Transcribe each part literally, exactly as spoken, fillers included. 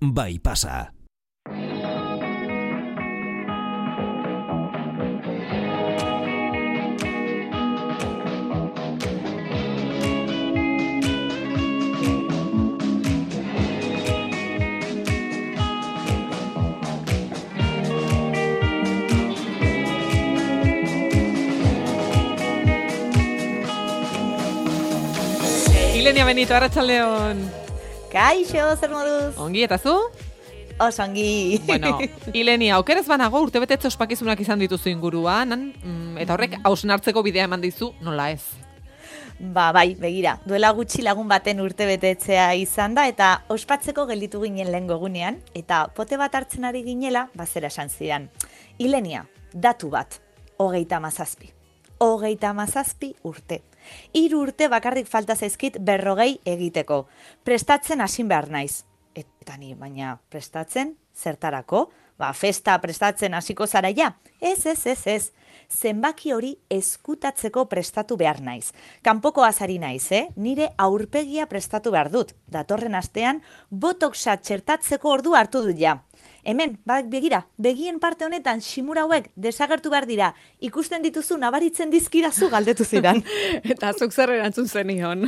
bai pasa. Ilenia Benito, arratsaldeon. Kaixo, zer moduz? Ongi, eta zu? Oso ongi. Bueno, Ilenia, aukeraz banago urtebetetze ospakizunak izan dituzu inguruan, mm, eta horrek hausnartzeko bidea eman dizu, nola ez? Ba, bai, begira, duela gutxi lagun baten urtebetetzea izan da, eta ospatzeko gelditu ginen lehen gogunean, eta pote bat hartzen ari ginela, bazera esan zidan. Ilenia, datu bat, hogeita mazazpi. Hogeita mazazpi urte. Hiru urte bakarrik falta zaizkit berrogei egiteko. Prestatzen hasin behar naiz. Eta ni, baina prestatzen, zertarako? Ba, festa prestatzen hasiko zara ja? Ez, ez, ez, ez. Zenbaki hori eskutatzeko prestatu behar naiz. Kanpoko azari naiz, eh? Nire aurpegia prestatu behar dut. Datorren astean, botoxa txertatzeko ordu hartu dut ja. Hemen, bak begira, begien parte honetan simura hauek desagertu behar dira, ikusten dituzu nabaritzen dizkidazu galdetu zidan. Eta zuk zer erantzun zenion.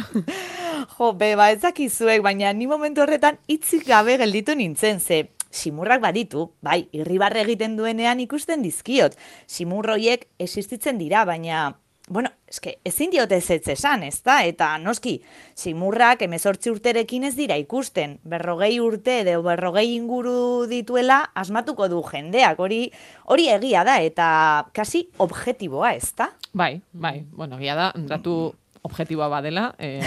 Jo, be, ba, ezakizuek, baina ni momentu horretan hitzik gabe gelditu nintzen, ze simurrak baditu, bai, irribarre egiten duenean ikusten dizkiot. Simurroiek existitzen dira, baina, bueno, eske, ezin diote ez esan, ezta? Eta noski, simurrak hemezortzi urterekin ez dira ikusten, berrogei urte edo berrogei inguru dituela asmatuko du jendeak, hori hori egia da, eta kasi objektiboa, ezta? Bai, bai, bueno, egia da, datu objektiboa badela, eh,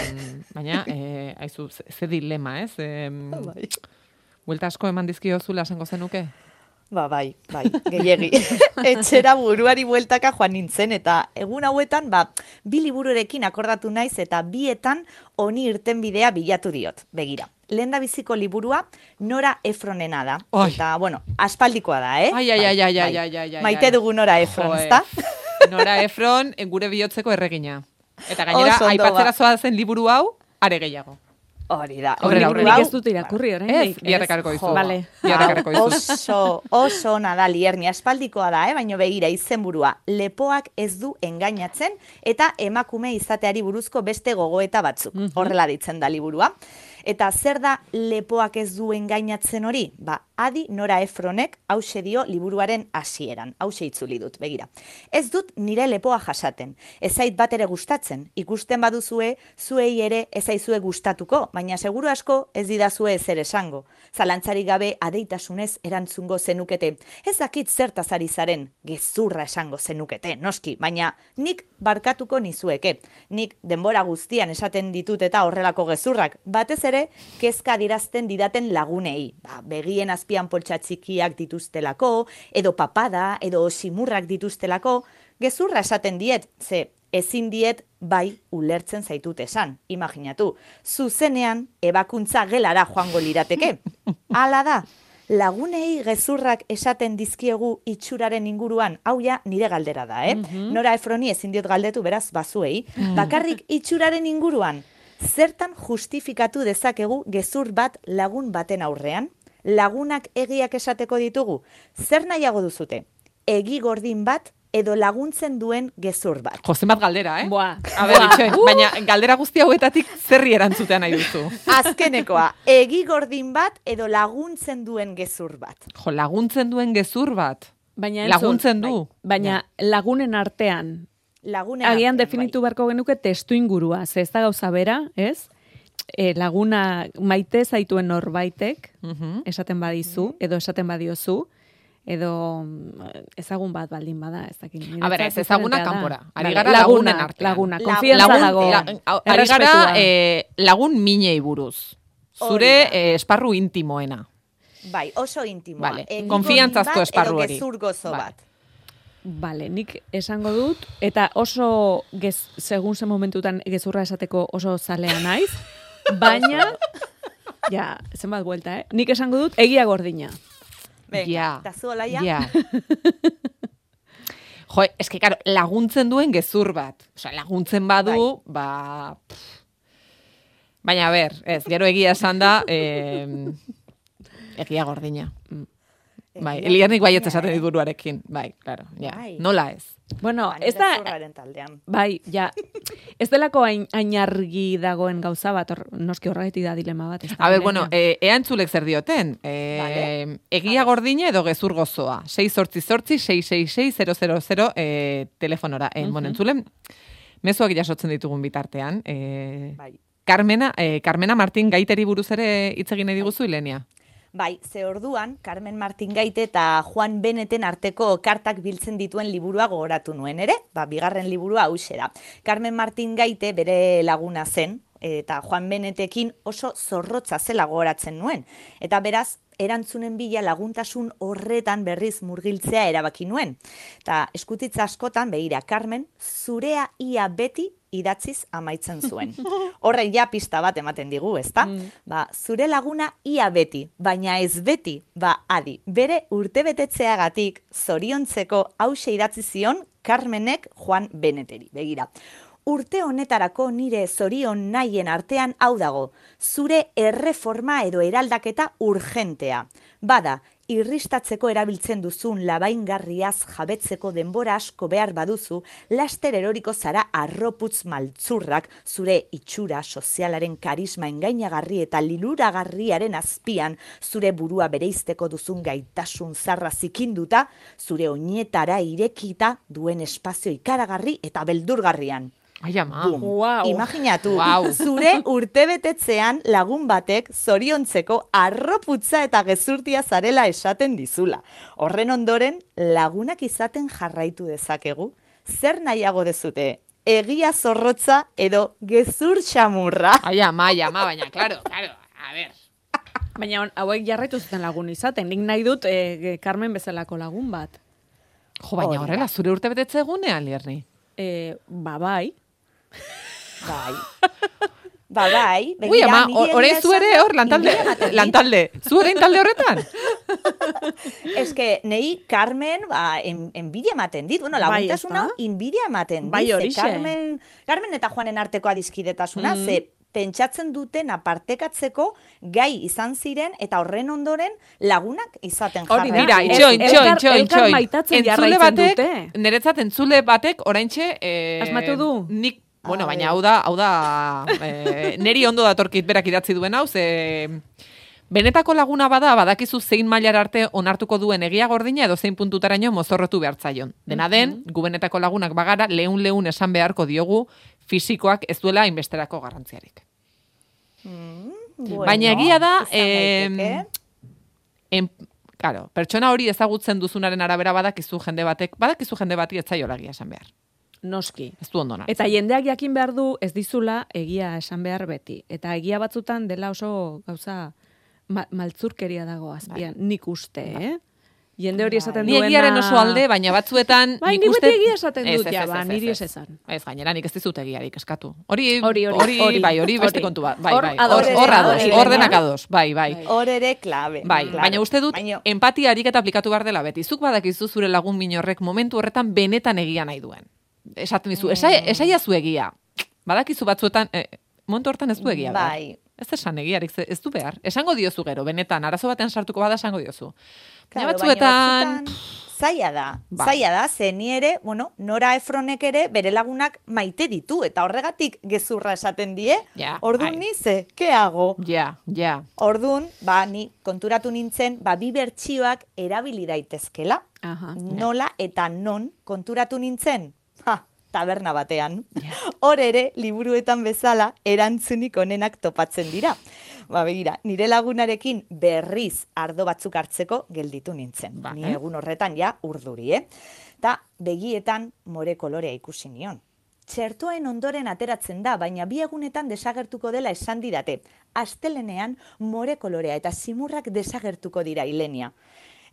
baina, eh, aizu, ze, ze dilema, ez? Eh, Bai. Buelta asko eman dizkiozula esango zenuke? Ba, bai, bai, gehiegi. Etxera buruari bueltaka joan nintzen, eta egun hauetan, ba, bi libururekin akordatu naiz, eta bietan honi irten bidea bilatu diot, begira. Lehen da biziko liburua Nora Efronena da. Oi. Eta, bueno, aspaldikoa da, eh? Ai, ai, ai, ai, ai, Bai, ai, ai, ai, maite ai. dugu Nora Efron, Jo, ezta? Nora Efron, gure bihotzeko erregina. Eta gainera, Oso ondo, aipatzera ba. zoa zen liburu hau, are gehiago. Hori da. Aurrera, Liburu aurrera. hau- Ez dut irakurri Ez, oraindik. biharrekarko dizu. Vale. Biharrekarko Hau dizu. Oso, oso ona da Lierni, aspaldikoa da, eh? Baina begira izenburua, lepoak ez du engainatzen eta emakume izateari buruzko beste gogoeta batzuk. Horrela ditzen da liburua. Eta zer da lepoak ez du engainatzen hori? Ba, adi Nora Efronek hause dio liburuaren hasieran. Hause itzuli dut, begira. Ez dut nire lepoa jasaten. Ez zait bat ere gustatzen. Ikusten baduzue, zuei ere ez zaizue gustatuko, baina seguru asko ez didazue ezer esango. Zalantzarik gabe adeitasunez erantzungo zenukete. Ez dakit zertaz ari zaren, gezurra esango zenukete, noski, baina nik barkatuko nizueke. Nik denbora guztian esaten ditut eta horrelako gezurrak, batez ere kezka adierazten didaten lagunei. Ba, begien azpian poltsa txikiak dituztelako, edo papada, edo simurrak dituztelako, gezurra esaten diet, ze ezin diet bai ulertzen zaitut esan. Imaginatu, zuzenean ebakuntza gelara joango lirateke. Hala da, lagunei gezurrak esaten dizkiegu itxuraren inguruan, hau ja nire galdera da, eh? Nora Efroni ezin diot galdetu beraz bazuei, bakarrik itxuraren inguruan, zertan justifikatu dezakegu gezur bat lagun baten aurrean? Lagunak egiak esateko ditugu? Zer nahiago duzute? Egi gordin bat edo laguntzen duen gezur bat? Jozen bat galdera, eh? Boa. A ber, itxoin, baina galdera guzti hauetatik zerri erantzutea nahi duzu. Azkenekoa, egi gordin bat edo laguntzen duen gezur bat? Jo, laguntzen duen gezur bat. Baina entzun, Laguntzen du. Baina lagunen artean, Lagunen agian artean, definitu beharko genuke testu ingurua, ze ez da gauza bera, ez? E, laguna maite zaituen norbaitek, Mhm. esaten badizu, edo esaten badiozu, edo mm, ezagun bat baldin bada, ez dakit. A ber, ez ezaguna kanpora. Ari Vale, gara laguna, lagunen artean. Laguna, La- konfiantza Lagun, dago. la, au- ari gara errespetua. eh, lagun minei buruz. Zure Hori da. eh, esparru intimoena. Bai, oso intimoa. Vale, Egi konfiantzazko gordin bat esparru edo hori. gezur gozo Vale. bat. Bale, nik esango dut, eta oso, gez, segun zen momentutan gezurra esateko oso zalea naiz, baina, ja, zenbat buelta, eh? Nik esango dut, egia gordina. Venga, Ja. eta zu Olaia? Ja. Jo, eske, karo, laguntzen duen gezur bat. Osea, laguntzen badu, ba... pff. Baina, a ber, ez, gero egia esan da, eh, Egia gordina. Bai, Elianik baietz esaten dit buruarekin. Bai, claro, ja. Bai. Nola ez? Bueno, Ba, ez nire da... zurraren taldean. Bai, ja. Ez delako hain, hain argi dagoen gauza bat, or, noski horregatik da dilema bat. Ez da, A ber, Ilenia. bueno, e, ea entzulek zer dioten. E, Vale. Egia gordina edo gezur gozoa. sei zortzi zortzi, sei sei sei, zero zero zero e, telefonora. E, bueno, entzulen, mezuak jasotzen ditugun bitartean. E, Bai. Carmena, e, Carmena Martin gaiteri buruz ere hitz egin nahi diguzu, Ilenia? Bai, ze orduan, Carmen Martin Gaite eta Juan Beneten arteko kartak biltzen dituen liburua gogoratu nuen ere, ba, bigarren liburua hauxe da. Carmen Martin Gaite bere laguna zen, eta Juan Benetekin oso zorrotza zela gogoratzen nuen. Eta beraz, erantzunen bila laguntasun horretan berriz murgiltzea erabaki nuen. Eta eskutitza askotan, begira, Carmen, zurea ia beti idatziz amaitzen zuen. Horre ja pista bat ematen digu, ezta? Mm. Ba, zure laguna ia beti, baina ez beti, ba, adi, bere urtebetetzeagatik zoriontzeko hause idatzi zion Carmenek Juan Beneteri. Begira, urte honetarako nire zorion nahien artean hau dago, zure erreforma edo eraldaketa urgentea. Bada, irristatzeko erabiltzen duzun labaingarriaz jabetzeko denbora asko behar baduzu, laster eroriko zara arroputz maltzurrak zure itxura sozialaren karisma engainagarri eta liluragarriaren azpian zure burua bereizteko duzun gaitasun zarra zikinduta, zure oinetara irekita duen espazio ikaragarri eta beldurgarrian. Ai, ama. Wow. Imaginatu, Wow. zure urtebetetzean lagun batek zoriontzeko arroputza eta gezurtia zarela esaten dizula. Horren ondoren, lagunak izaten jarraitu dezakegu. Zer nahiago dezute? Egia zorrotza edo gezur xamurra? Ai, ama, ai, ama, baina, claro, claro, a ver. Baina on, hauek jarraitu zuten lagun izaten. Nik nahi dut eh, Carmen bezalako lagun bat. Jo, baina Hori da. horrela, zure urte betetze egunean, Lierni. Eh, ba, bai. Bai. Ba, bai. Ui, begira, ama, niri or- egia orain zu ere esan, hor lantalde, inbidia ematen dit. lantalde. Zu orain talde horretan? Ez que, nei Carmen, ba, en, enbidia ematen dit. Bueno, Bai, laguntasun ezta? hau, enbidia ematen dit. Bai, Ze horixe. Carmen, Carmen eta Juanen arteko adiskidetasuna, Mm. ze pentsatzen duten apartekatzeko gai izan ziren eta horren ondoren lagunak izaten Hori da. Mira, jarraitu. itxoin, El- itxoin, elkar- itxoin, elkar itxoin. maitatzen Entzule jarraitzen batek, dute. niretzat entzule batek oraintxe... Eh, Asmatu du? Nik, bueno, A baina ver. hau da, hau da, eh, neri ondo datorkit berak idatzi duen hau, ze... Benetako laguna bada, badakizu zein mailar arte onartuko duen egia gordina edo zein puntutaraino mozorrotu behartzaion. Dena den, gu benetako lagunak bagara, leun-leun esan beharko diogu fisikoak ez duela inbesterako garrantziarik. Bueno, Baina egia da, izan daiteke. em, en, claro, pertsona hori ezagutzen duzunaren arabera badakizu jende batek, badakizu jende bati ez zaiola egia esan behar. Noski. Ez du ondo nartzen. Eta jendeak jakin behar du ez dizula egia esan behar beti. Eta egia batzutan dela oso gauza ma maltzurkeria dago azpian. Nik uste, eh? Jende hori esaten Ni duena... egiaren oso alde, baina batzuetan... Bai, nik nik uste- beti egia esaten Ez, dut, ez, ja, ez, ba, ez, niri ez, ez esan. Ez, gainera nik ez dizut egiarik eskatu. Hori, Hori, hori, hori, hori, bai, hori beste hori. kontu bat. Bai, Hor bai, ados, hor, hor ados, ados, ados, hor denak Elena. ados, bai, bai. Bai. Hor ere klabe. Bai, claro. baina uste dut Baina- empatia ariketa aplikatu behar dela beti. Zuk badakizu zure lagun minorrek momentu horretan benetan egia nahi duen. Esaten dizu, esai, esaiazu egia. Badakizu batzuetan, eh, momentu hortan ez du egia behar. Bai. Ez esan egiarik, ze- ez du behar. Esango diozu gero, benetan, arazo batean sartuko bada esango diozu. Baina Claro, batzuetan... baina zaila da, Bai. zaila da, ze ni ere, bueno, Nora Efronek ere bere lagunak maite ditu, eta horregatik gezurra esaten die, Ja, orduan bai. ni ze, ke hago? Ja, ja. Orduan, ba, ni konturatu nintzen, ba, bi bertsioak erabili daitezkela, Aha. nola eta non konturatu nintzen? Ha, taberna batean. Hor ere, liburuetan bezala, erantzunik onenak topatzen dira. Ba, begira, nire lagunarekin berriz ardo batzuk hartzeko gelditu nintzen. Ba, Ni eh? egun horretan ja urduri, eh? Ta begietan more kolorea ikusi nion. Txertoen ondoren ateratzen da, baina bi egunetan desagertuko dela esan didate. Astelenean more kolorea eta simurrak desagertuko dira Ilenia.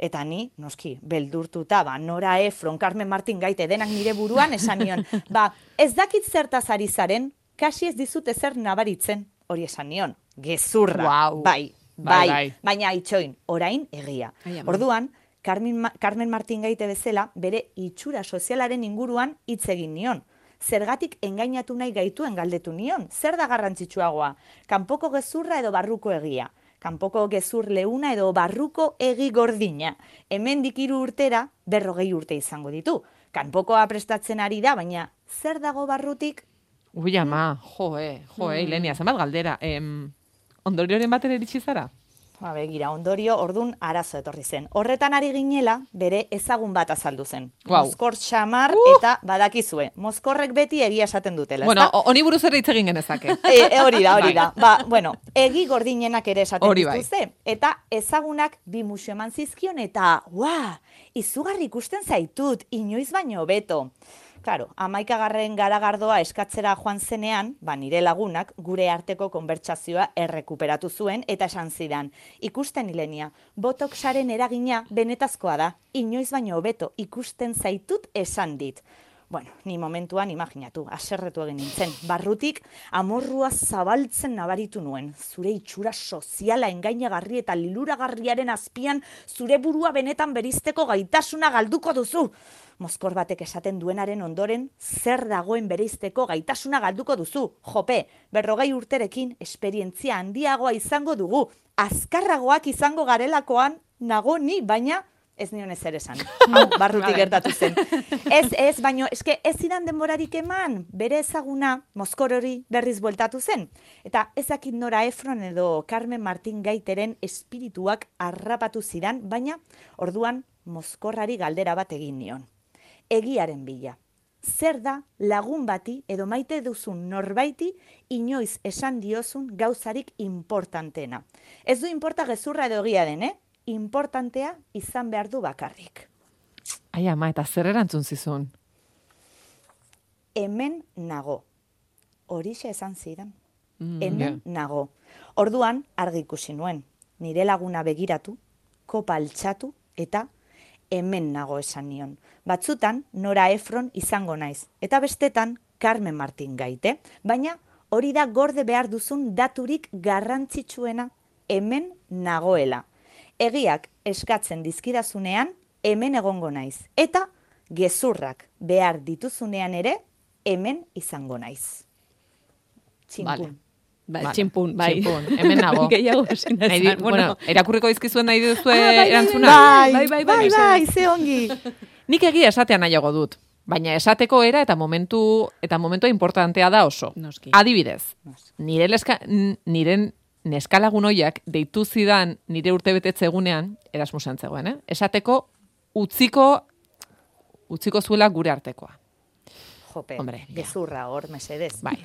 Eta ni, noski, beldurtuta, ba, Nora Efron, Carmen Martin Gaite, denak nire buruan esan nion. Ba, ez dakit zertaz ari zaren, kasi ez dizut ezer nabaritzen, hori esan nion. Gezurra, Guau. bai, Bai, bai, bai. baina itxoin, orain egia. Ai, ama. Orduan, Carmen, Ma- Carmen Martin Gaite bezala, bere itxura sozialaren inguruan hitz egin nion. Zergatik engainatu nahi gaituen galdetu nion. Zer da garrantzitsuagoa? Kanpoko gezurra edo barruko egia? kanpoko gezur leuna edo barruko egi gordina. Hemendik hiru urtera berrogei urte izango ditu. Kanpokoa prestatzen ari da, baina zer dago barrutik? Ui, ama, joe, joe, mm. Ilenia, zenbat galdera. Em, ondorioren batera iritsi zara? Ba, begira, ondorio ordun arazo etorri zen. Horretan ari ginela, bere ezagun bat azaldu zen. Wow. Mozkor xamar uh! eta badakizue. Mozkorrek beti egia esaten dutela, Bueno, ezta? honi buruz ere hitz egin genezake. E, e, hori da, hori da. Ba, bueno, egi gordinenak ere esaten Hori bai. dituzte. Eta ezagunak bi musu eman zizkion eta, ua, izugarri ikusten zaitut, inoiz baino beto. Claro, amaikagarren garagardoa eskatzera joan zenean, ba, nire lagunak gure arteko konbertsazioa errekuperatu zuen eta esan zidan. Ikusten, Ilenia, botoxaren eragina benetazkoa da, inoiz baino hobeto ikusten zaitut esan dit. Bueno, ni momentuan imaginatu, aserretu egin nintzen. Barrutik amorrua zabaltzen nabaritu nuen. Zure itxura soziala engainagarri eta liluragarriaren azpian zure burua benetan berizteko gaitasuna galduko duzu. Mozkor batek esaten duenaren ondoren, zer dagoen bereizteko gaitasuna galduko duzu. Jope, berrogei urterekin esperientzia handiagoa izango dugu. Azkarragoak izango garelakoan nago ni, baina ez nion ezer esan. Hau, barrutik gertatu zen. Ez, ez, baino, eske ez zidan denborarik eman, bere ezaguna Mozkor hori berriz bueltatu zen. Eta ezakit Nora Ephron edo Carmen Martin Gaiteren espirituak harrapatu zidan, baina orduan Mozkorrari galdera bat egin nion. Egiaren bila. Zer da lagun bati edo maite duzun norbaiti inoiz esan diozun gauzarik importantena. Ez du inporta gezurra edo egia den, eh? Importantea izan behar du bakarrik. Ai, ama, eta zer erantzun zizun? Hemen nago. Horixe esan zidan. Mm, Hemen yeah. nago. Orduan argi ikusi nuen. Nire laguna begiratu, kopa altxatu eta hemen nago esan nion. Batzutan Nora Ephron izango naiz. Eta bestetan Carmen Martin Gaite. Baina hori da gorde behar duzun daturik garrantzitsuena, hemen nagoela. Egiak eskatzen dizkidazunean, hemen egongo naiz. Eta gezurrak behar dituzunean ere, hemen izango naiz. Txinpun. Vale. Bai, Vale. txinpun, bai. Txinpun, hemen nago. Gehiago ezin Nahi di- esan, bueno, erakurriko dizkizuen nahi duzue Ah, bai, bai, erantzuna? Bai, Bai, bai, bai, bai, bai, bai, ze ongi. Nik egia esatea nahiago dut, baina esateko era eta momentu eta momentua importantea da oso. Noski. Adibidez, nire leska, n- nire neskalagun hoiak deitu zidan nire urtebetetze egunean, Erasmusen zegoen, eh? Esateko utziko utziko zuela gure artekoa. Jope, Hombre, ja. gezurra hor, mesedez. Bai,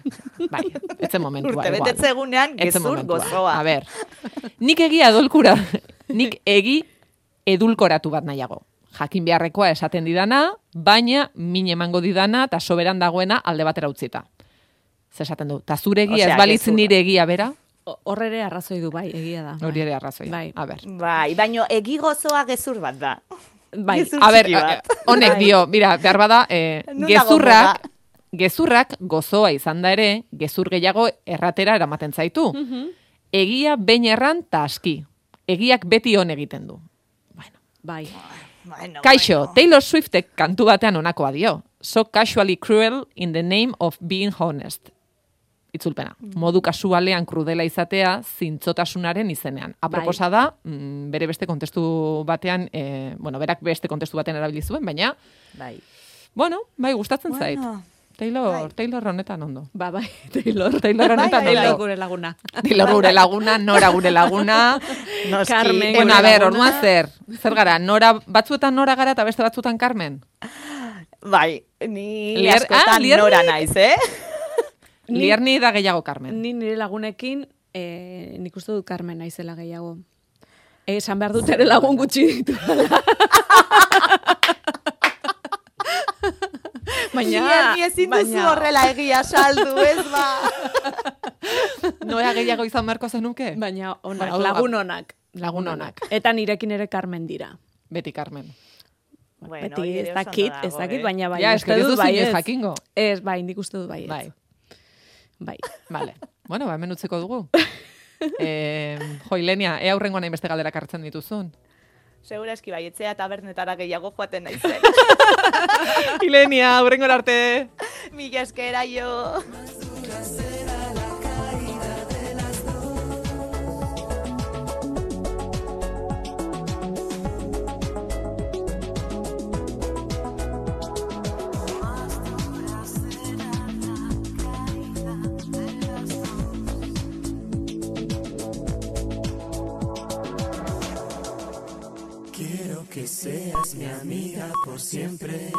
bai, etzen momentua. Urte igual. betetze egunean, Etzen gezur momentua. gozoa. A ber, nik egia edulkura, nik egi edulkoratu bat nahiago. Jakin beharrekoa esaten didana, baina min emango didana eta soberan dagoena alde batera utzita. Zer esaten du, ta zure egia Osea, ez balitz gezurra. nire egia bera, Hor ere arrazoi du, bai, egia da. hori ere arrazoi. Bai. A ber. Bai, baino egi gozoa gezur bat da. Bai. Gezur A ber, txiki bat. eh, honek Bai. dio, mira, behar bada, eh, Non dago gezurrak, moda? gezurrak gozoa izan da ere, gezur gehiago erratera eramaten zaitu. Egia behin erran ta aski. Egiak beti on egiten du. Bueno. Bai. Bueno, Kaixo, bueno. Taylor Swiftek kantu batean honakoa dio. So casually cruel in the name of being honest. Itzulpena. Modu kasualean krudela izatea zintzotasunaren izenean. Aproposa da, mm, bere beste kontestu batean, eh, bueno, berak beste kontestu batean erabili zuen, baina, Bai. bueno, bai, gustatzen zait. Bueno, Taylor, bai. Taylor honetan ondo. Ba, bai, Taylor. Taylor honetan bai, bai. Taylor ondo. gure laguna. Taylor gure laguna, Nora gure laguna. noski. Carmen. Bueno, a Gure ber, laguna. orduan zer? Zer gara, Nora, batzuetan Nora gara eta beste batzuetan Carmen? Bai, ni Lier- askotan ah, Lierni? Nora naiz, eh? Ni- Lierni da gehiago Carmen. Ni nire lagunekin, eh, nik uste dut Carmen naizela gehiago. Esan behar dut ere lagun gutxi ditu. Baina, Lierni ezin duzu baina- horrela egia saldu, ez ba? Nora gehiago izan beharko zenuke? Baina onak, Hau da, lagun onak. Lagun onak. Eta nirekin ere Carmen dira. Beti Carmen. Bueno, Beti hori ez ere oso dakit, ondo ez dago, dakit, eh? baina bai. Ja, uste eske ez dut duzu baietz. inoiz jakingo. Ez, bai, nik uste dut baietz. Bai, Bai. vale. Bueno, ba, hemen utziko dugu. eh, jo, Ilenia, ea aurrengo nahi beste galdera kartzen dituzun. Segura eski bai, etzea tabernetara gehiago joaten naizen. Ilenia, aurrengo arte. Mila eskera jo. que seas mi amiga por siempre.